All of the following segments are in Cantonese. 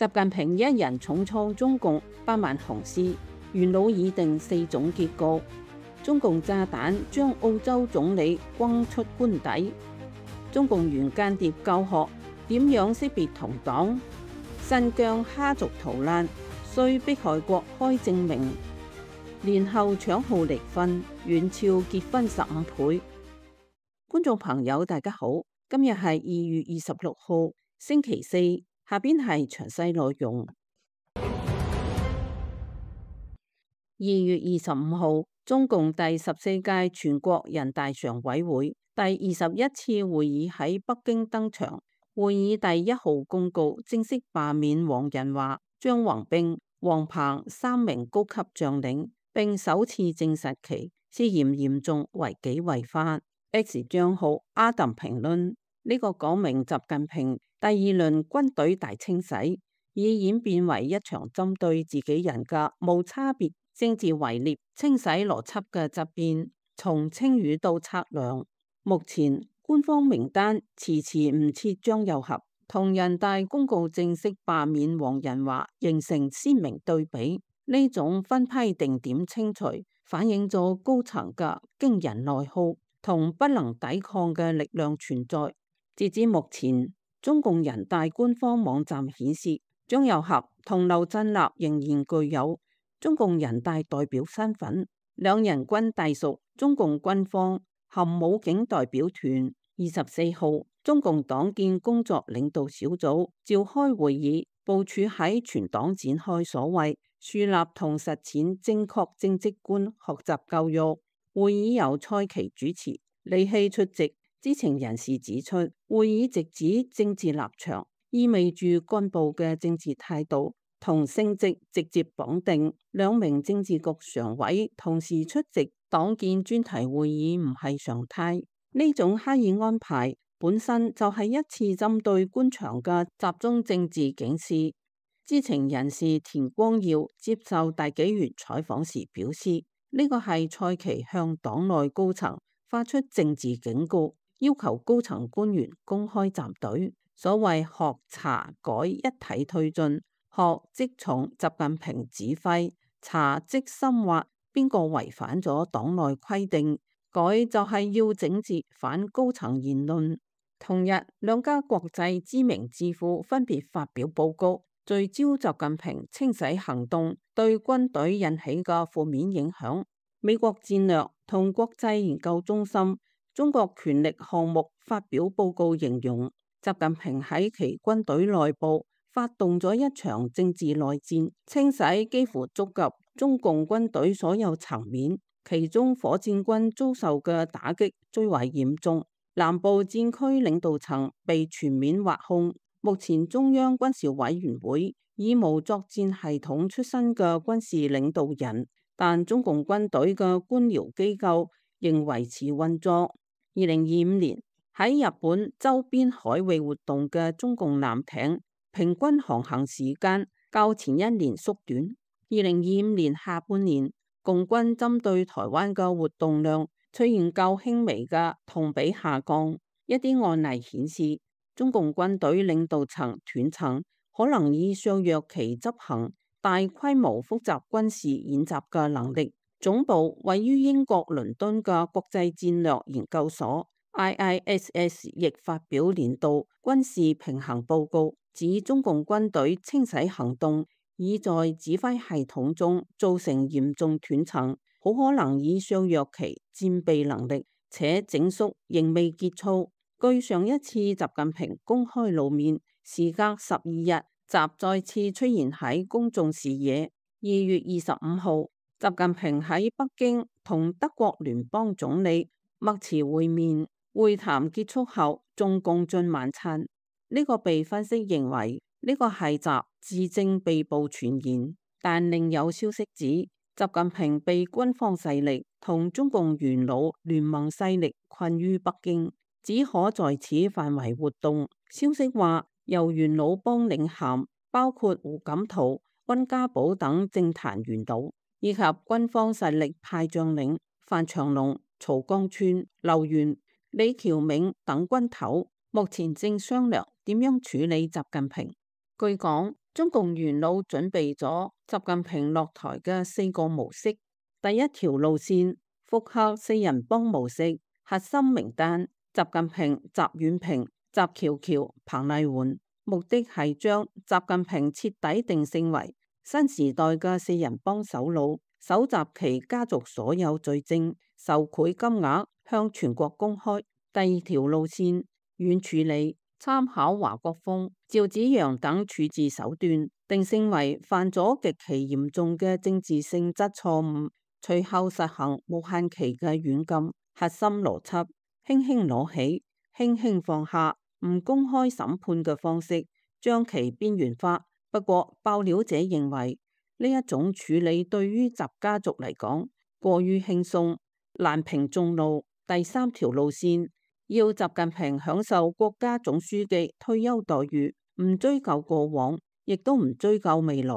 習近平一人重創中共8萬雄師，元老已定4種結局。中共炸彈將澳洲總理轟出官邸。中共原間諜教學點樣識別同黨？新疆哈族逃難需迫害國開證明。年後搶號離婚，遠超結婚15倍。觀眾朋友大家好，今日係2月26號星期四，下邊係詳細內容。2月25號，中共第14屆全國人大常委會第21次會議喺北京登場。會議第1號公告正式罷免黃仁華、張宏斌、王鵬3名高級將領，並首次證實其涉嫌嚴重違紀違法。X 賬號阿特評論，呢個講明習近平第2輪軍隊大清洗已演變為一場針對自己人嘅無差別政治圍獵清洗邏輯嘅質變，從清淤到測量。目前官方名單遲遲唔撤張又俠，同人大公告正式罷免黃仁華形成鮮明對比。呢種分批定點清除，反映咗高層嘅驚人內耗同不能抵抗嘅力量存在。截至目前，中共人大官方網站顯示，張又俠同劉振立仍然具有中共人大代表身份，兩人均隸屬中共軍方含武警代表團。24號，中共黨建工作領導小組召開會議，部署喺全黨展開所謂樹立同實踐正確政績觀學習教育。會議由蔡奇主持，李希出席。知情人士指出，會議直指政治立場，意味住幹部嘅政治態度同升職直接綁定。2名政治局常委同時出席黨建專題會議唔係常態，呢種刻意安排本身就係一次針對官場嘅集中政治警示。知情人士田光耀接受大紀元採訪時表示，呢個係蔡奇向黨內高層發出政治警告，要求高層官員公開站隊。所謂學查改一體推進，學即從習近平指揮，查即深挖邊個違反咗黨內規定，改就係要整治反高層言論。同日，2家國際知名智庫分別發表報告，聚焦習近平清洗行動對軍隊引起嘅負面影響。美國戰略同國際研究中心中國權力項目發表報告，形容習近平喺其軍隊內部發動咗一場政治內戰，清洗幾乎觸及中共軍隊所有層面，其中火箭軍遭受嘅打擊最為嚴重，南部戰區領導層被全面挖空。目前中央軍事委員會以無作戰系統出身嘅軍事領導人，但中共軍隊嘅官僚機構仍維持運作。2025年喺日本周邊海域活動嘅中共艦艇平均航行時間較前一年縮短。2025年下半年，共軍針對台灣嘅活動量出現較輕微嘅同比下降。一啲案例顯示，中共軍隊領導層斷層可能以削弱其執行大規模複雜軍事演習嘅能力。總部位於英國倫敦嘅國際戰略研究所 IISS 亦發表年度軍事平衡報告，指中共軍隊清洗行動已在指揮系統中造成嚴重斷層，好可能已削弱其戰備能力，且整肅仍未結束。據上一次習近平公開露面，時隔12日，習再次出現喺公眾視野。2月25號，習近平喺北京同德國聯邦總理默茨會面，會談結束後仲共進晚餐。呢個被分析認為呢個係習自證被捕傳言，但另有消息指習近平被軍方勢力同中共元老聯盟勢力困於北京，只可在此範圍活動。消息話由元老幫領銜，包括胡錦濤、溫家寶等政壇元老，以及軍方實力派將領范長龍、曹江川、劉源、李橋銘等軍頭，目前正商量點樣處理習近平。據講，中共元老準備咗習近平落台嘅4個模式。第一條路線複刻四人幫模式，核心名單習近平、習遠平、習喬喬、彭麗媛，目的係將習近平徹底定性為新時代嘅四人幫首腦，搜集其家族所有罪證、受賄金額，向全國公開。第二條路線軟處理，參考華國鋒、趙紫陽等處置手段，定性為犯咗極其嚴重嘅政治性質錯誤，隨後實行無限期嘅軟禁。核心邏輯：輕輕攞起，輕輕放下，唔公開審判嘅方式，將其邊緣化。不過爆料者認為呢一種處理對於習家族嚟講過於輕鬆，難平眾怒。第三條路線要習近平享受國家總書記退休待遇，唔追究過往，亦都唔追究未來。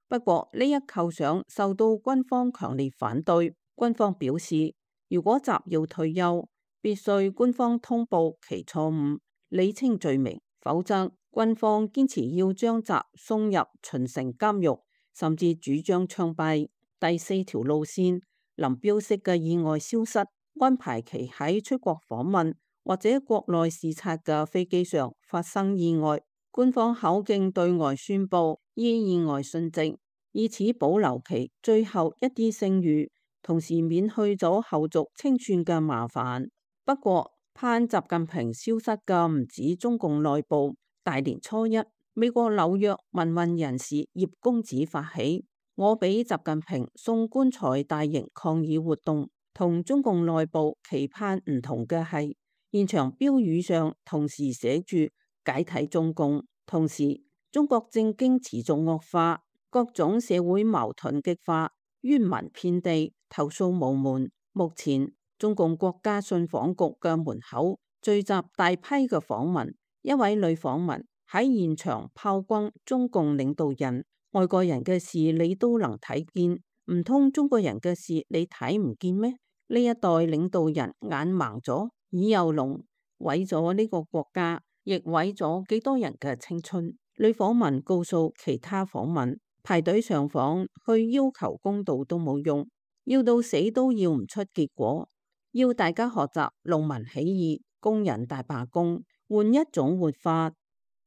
不過呢一構想受到軍方強烈反對，軍方表示，如果習要退休，必須官方通報其錯誤，理清罪名，否則軍方堅持要將習送入秦城監獄，甚至主張槍斃。第四條路線，林彪式嘅意外消失，安排其喺出國訪問或者國內視察嘅飛機上發生意外，官方口徑對外宣布依意外殉職，以此保留其最後一啲聲譽，同時免去咗後續清算嘅麻煩。不過盼習近平消失嘅唔止中共內部，大年初一，美國紐約民運人士葉公子發起我俾習近平送棺材大型抗議活動。同中共內部期盼唔同嘅係，現場標語上同時寫住解體中共，同時中國政經持續惡化，各種社會矛盾激化，冤民遍地，投訴無門。目前中共國家信訪局嘅門口聚集大批嘅訪民，一位女訪民喺現場炮轟中共領導人，外國人嘅事你都能睇見，唔通中國人嘅事你睇唔見咩？呢一代領導人眼盲咗，耳又聾，毀咗呢個國家，亦毀咗幾多人嘅青春。女訪民告訴其他訪民，排隊上訪去要求公道都冇用，要到死都要唔出結果。要大家學習農民起義、工人大罷工，換一種活法。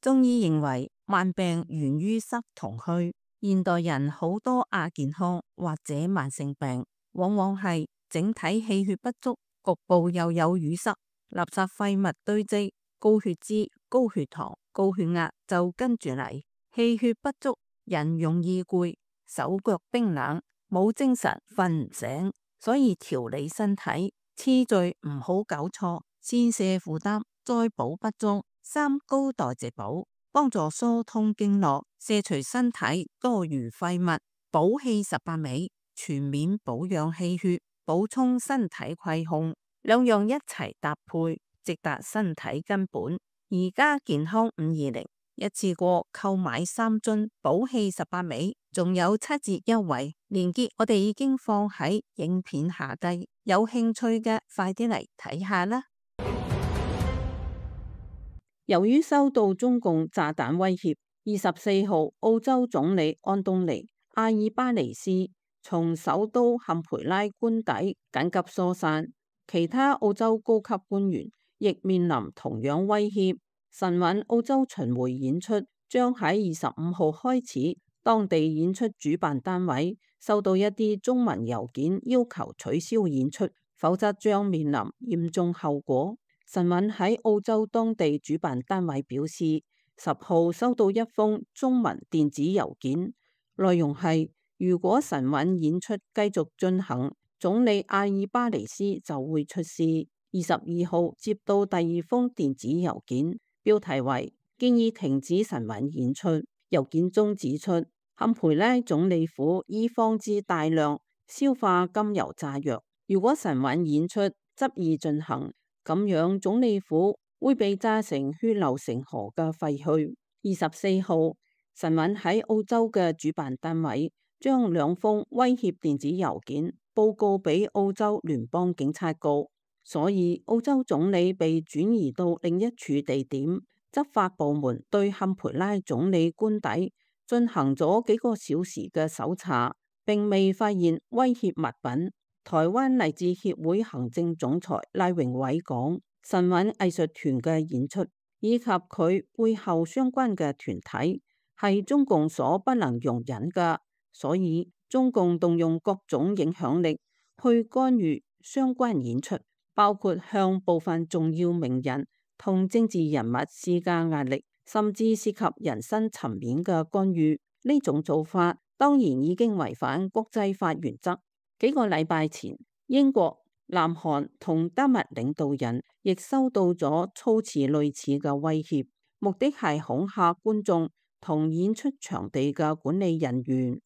中醫認為慢病源於濕同虛，現代人好多亞健康或者慢性病，往往係整體氣血不足，局部又有淤塞，垃圾廢物堆積，高血脂、高血糖、高血壓就跟住嚟。氣血不足，人容易攰，手腳冰冷，冇精神，瞓唔醒。所以調理身體次序唔好搞錯，先瀉負擔，再補不足。三高代謝補，幫助疏通經絡，卸除身體多餘廢物，補氣18味，全面保養氣血，補充身體虧空，兩樣一齊搭配，直達身體根本。而家健康520，一次過購買3樽補氣18味，仲有7折優惠，鏈接我哋已經放喺影片下低，有興趣嘅快啲嚟睇下啦。由於收到中共炸彈威脅，24號澳洲總理安東尼·阿爾巴尼斯從首都坎培拉官邸緊急疏散，其他澳洲高級官員亦面臨同樣威脅。神韻澳洲巡迴演出將喺25號開始，當地演出主辦單位收到一啲中文郵件要求取消演出，否則將面臨嚴重後果。神韻喺澳洲當地主辦單位表示，10號收到一封中文電子郵件，內容係如果神韻演出繼續進行，總理阿爾巴尼斯就會出事。22號接到第2封電子郵件，標題為建議停止神韻演出。郵件中指出，坎培拉總理府已放置大量硝化甘油炸藥，如果神韻演出執意進行，咁樣總理府會被炸成血流成河嘅廢墟。24號，神韻喺澳洲嘅主辦單位將2封威脅電子郵件報告俾澳洲聯邦警察局，所以澳洲總理被轉移到另一處地點。執法部門對坎培拉總理官邸進行咗幾個小時嘅搜查，並未發現威脅物品。台灣勵志協會行政總裁賴榮偉講，神韻藝術團嘅演出以及佢背後相關嘅團體係中共所不能容忍嘅，所以中共動用各種影響力去干預相關演出，包括向部分重要名人同政治人物施加壓力，甚至涉及人身層面嘅干預。呢種做法當然已經違反國際法原則。幾個禮拜前，英國、南韓同丹麥領導人亦收到咗措辭類似嘅威脅，目的係恐嚇觀眾同演出場地嘅管理人員。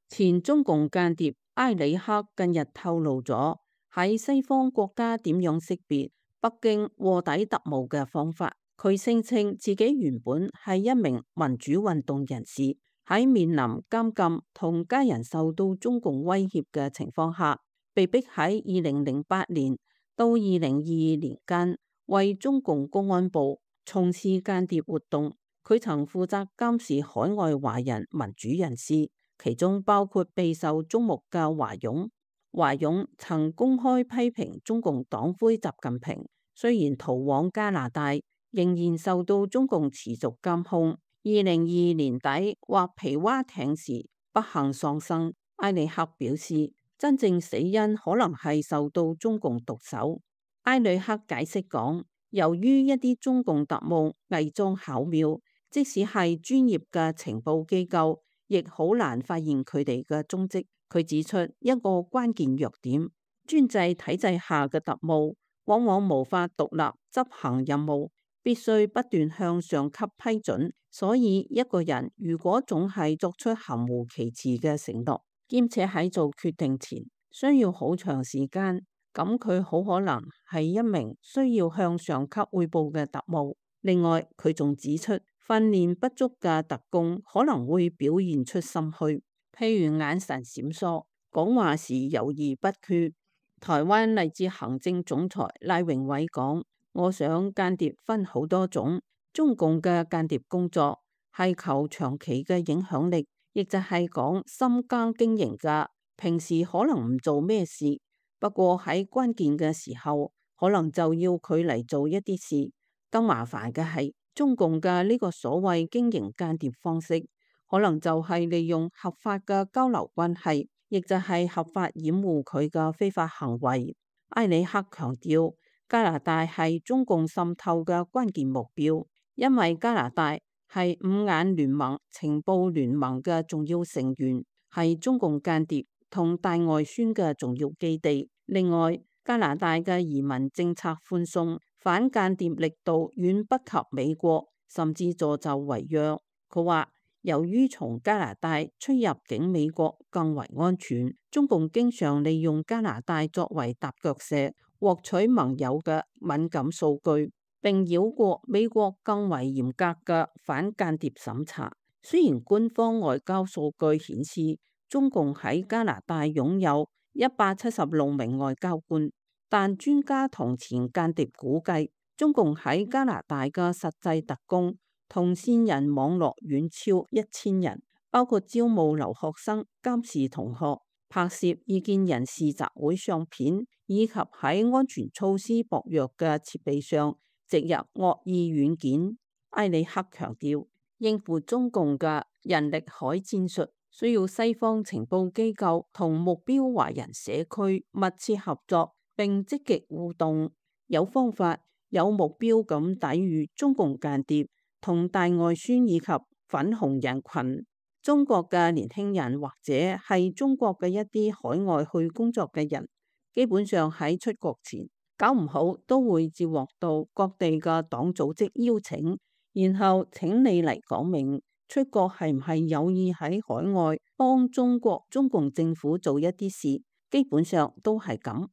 前中共間諜埃里克近日透露咗喺西方國家點樣識別北京臥底特務嘅方法。佢聲稱自己原本係一名民主運動人士，喺面臨監禁同家人受到中共威脅嘅情況下，被逼喺2008年到2022年間為中共公安部從事間諜活動。佢曾負責監視海外華人民主人士，其中包括備受矚目嘅華勇。華勇曾公開批評中共黨魁習近平，雖然逃往加拿大，仍然受到中共持續監控。2022年底劃皮划艇時不幸喪生。埃里克表示，真正死因可能係受到中共毒手。埃里克解釋講，由於一啲中共特務偽裝巧妙，即使係專業嘅情報機構，亦好難發現佢哋嘅蹤跡。佢指出一個關鍵弱點，專制體制下嘅特務往往無法獨立執行任務，必須不斷向上級批准。所以一個人如果總係作出含糊其辭嘅承諾，兼且喺做決定前需要好長時間，咁佢好可能係一名需要向上級匯報嘅特務。另外，佢仲指出，訓練不足嘅特工可能會表現出心虛，譬如眼神閃爍、講話時猶豫不決。台灣勵志行政總裁賴榮偉講，我想間諜分好多種，中共嘅間諜工作係求長期嘅影響力，亦就係講深耕經營嘅，平時可能唔做咩事，不過喺關鍵嘅時候，可能就要佢嚟做一啲事。更麻煩嘅係，中共嘅呢個所謂經營間諜方式，可能就係利用合法嘅交流關係，亦就係合法掩護佢嘅非法行為。埃里克強調，加拿大係中共滲透嘅關鍵目標，因為加拿大係五眼聯盟情報聯盟嘅重要成員，係中共間諜同大外宣嘅重要基地。另外，加拿大嘅移民政策寬鬆，反間諜力度遠不及美國，甚至助紂為虐。佢話，由於從加拿大出入境美國更為安全，中共經常利用加拿大作為踏腳石，獲取盟友嘅敏感數據，並繞過美國更為嚴格嘅反間諜審查。雖然官方外交數據顯示中共喺加拿大擁有176名外交官，但專家同前間諜估計，中共喺加拿大嘅實際特工同線人網絡遠超1000人，包括招募留學生、監視同學、拍攝異見人士集會相片，以及喺安全措施薄弱嘅設備上植入惡意軟件。埃里克強調，應付中共嘅人力海戰術，需要西方情報機構同目標華人社區密切合作，並積極互動，有方法、有目標咁抵禦中共間諜同大外宣以及粉紅人群。中國嘅年輕人或者係中國嘅一啲海外去工作嘅人，基本上喺出國前搞唔好都會接獲到各地嘅黨組織邀請，然後請你嚟講明出國係唔係有意喺海外幫中共政府做一啲事，基本上都係咁。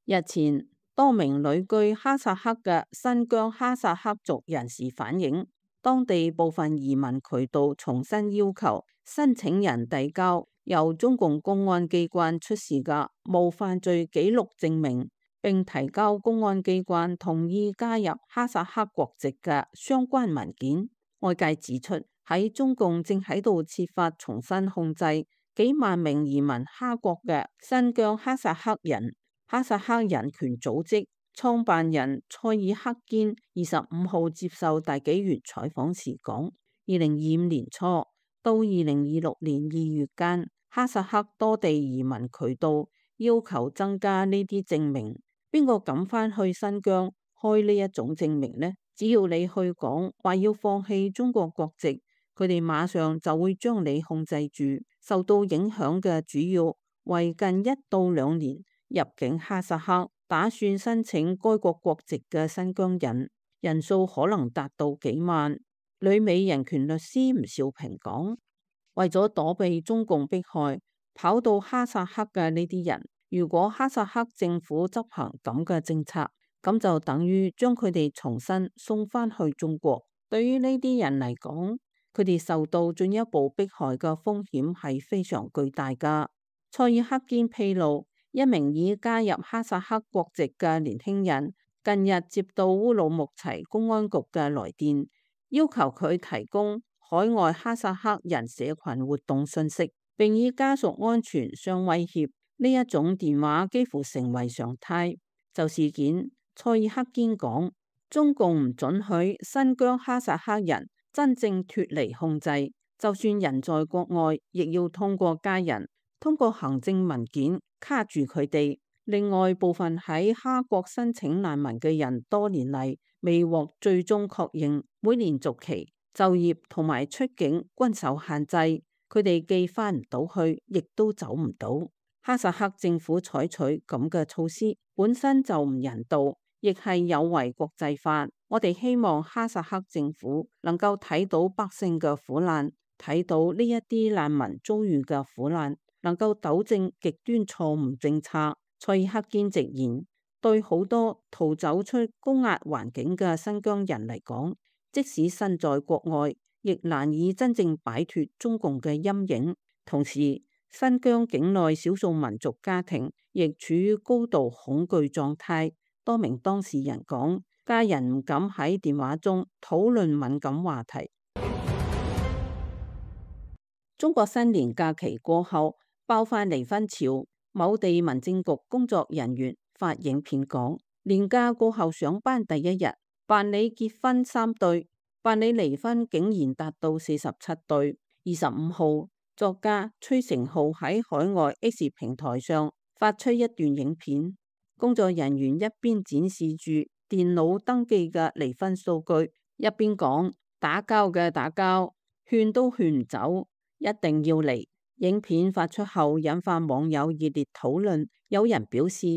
日前，多名旅居哈薩克嘅新疆哈薩克族人士反映，當地部分移民渠道重新要求申請人遞交由中共公安機關出示嘅無犯罪記錄證明，並提交公安機關同意加入哈薩克國籍嘅相關文件。外界指出，喺中共正喺度設法重新控制幾萬名移民哈國嘅新疆哈薩克人。哈薩克人權組織創辦人蔡爾克堅25號接受大紀元採訪時講，2025年初到2026年2月間，哈薩克多地移民渠道要求增加呢啲證明。邊個敢返去新疆開呢一種證明呢？只要你去講話要放棄中國國籍，佢哋馬上就會將你控制住。受到影響嘅主要為近1到2年入境哈薩克打算申請該國國籍嘅新疆人，人數可能達到幾萬。旅美人權律師吳兆平講，為咗躲避中共迫害，跑到哈薩克嘅呢啲人，如果哈薩克政府執行咁嘅政策，咁就等於將佢哋重新送返去中國。對於呢啲人嚟講，佢哋受到進一步迫害嘅風險係非常巨大㗎。蔡爾克堅披露，一名已加入哈薩克國籍嘅年輕人近日接到烏魯木齊公安局嘅來電，要求佢提供海外哈薩克人社群活動信息，並以家屬安全相威脅。呢一種電話幾乎成為常態。就事件，蔡爾克堅講，中共唔准許新疆哈薩克人真正脫離控制，就算人在國外，亦要通過家人、通過行政文件卡住佢哋。另外，部分喺哈國申請難民嘅人多年嚟未獲最終確認，每年續期、就業同埋出境均受限制，佢哋既返唔到去，亦都走唔到。哈薩克政府採取咁嘅措施本身就唔人道，亦係有違國際法。我哋希望哈薩克政府能夠睇到百姓嘅苦難，睇到呢一啲難民遭遇嘅苦難，能夠糾正極端錯誤政策。蔡爾克堅直言，對好多逃走出高壓環境嘅新疆人嚟講，即使身在國外，亦難以真正擺脫中共嘅陰影。同時，新疆境內少數民族家庭亦處於高度恐懼狀態。多名當事人講，家人唔敢喺電話中討論敏感話題。中國新年假期過後爆發離婚潮，某地民政局工作人員發影片講，年假過後上班第一日，辦理結婚3對，辦理離婚竟然達到47對。25號，作家崔成浩喺海外 X 平台上發出一段影片，工作人員一邊展示住電腦登記嘅離婚數據，一邊講，打交嘅打交，勸都勸唔走，一定要離。影片發出後引發網友熱烈討論，有人表示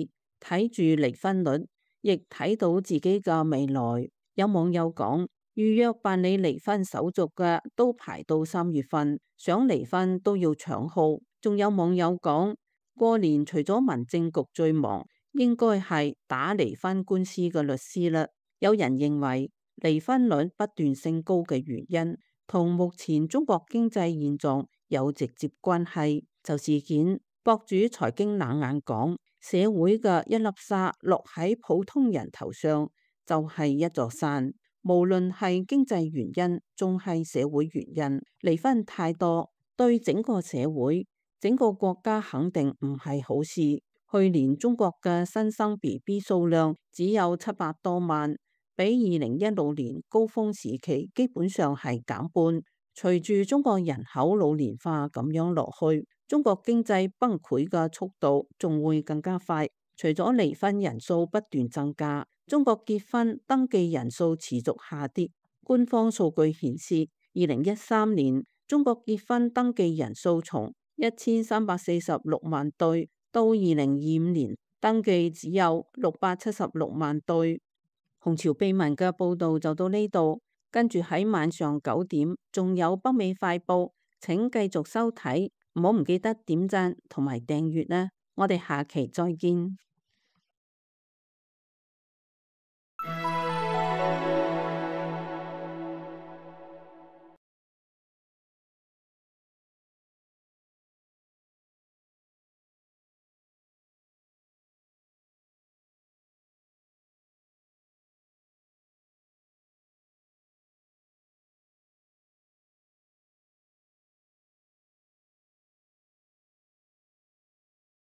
睇住離婚率，亦睇到自己嘅未來。有網友講，預約辦理離婚手續嘅都排到3月份，想離婚都要搶號。仲有網友講，過年除咗民政局最忙，應該係打離婚官司嘅律師啦。有人認為離婚率不斷升高嘅原因同目前中國經濟現狀有直接關係。就事件，博主財經冷眼講，社會嘅一粒沙落喺普通人頭上就係一座山。無論係經濟原因，仲係社會原因，離婚太多，對整個社會、整個國家肯定唔係好事。去年中國嘅新生 BB 數量只有700多萬，比2016年高峰時期基本上係減半。隨住中國人口老年化咁樣落去，中國經濟崩潰嘅速度仲會更加快。除咗離婚人數不斷增加，中國結婚登記人數持續下跌。官方數據顯示，2013年中國結婚登記人數從1346萬對到2025年登記只有676萬對。紅潮秘聞嘅報道就到呢度，跟住喺晚上9點仲有北美快報，請繼續收睇，唔好唔記得點讚同埋訂閱啦。我哋下期再見。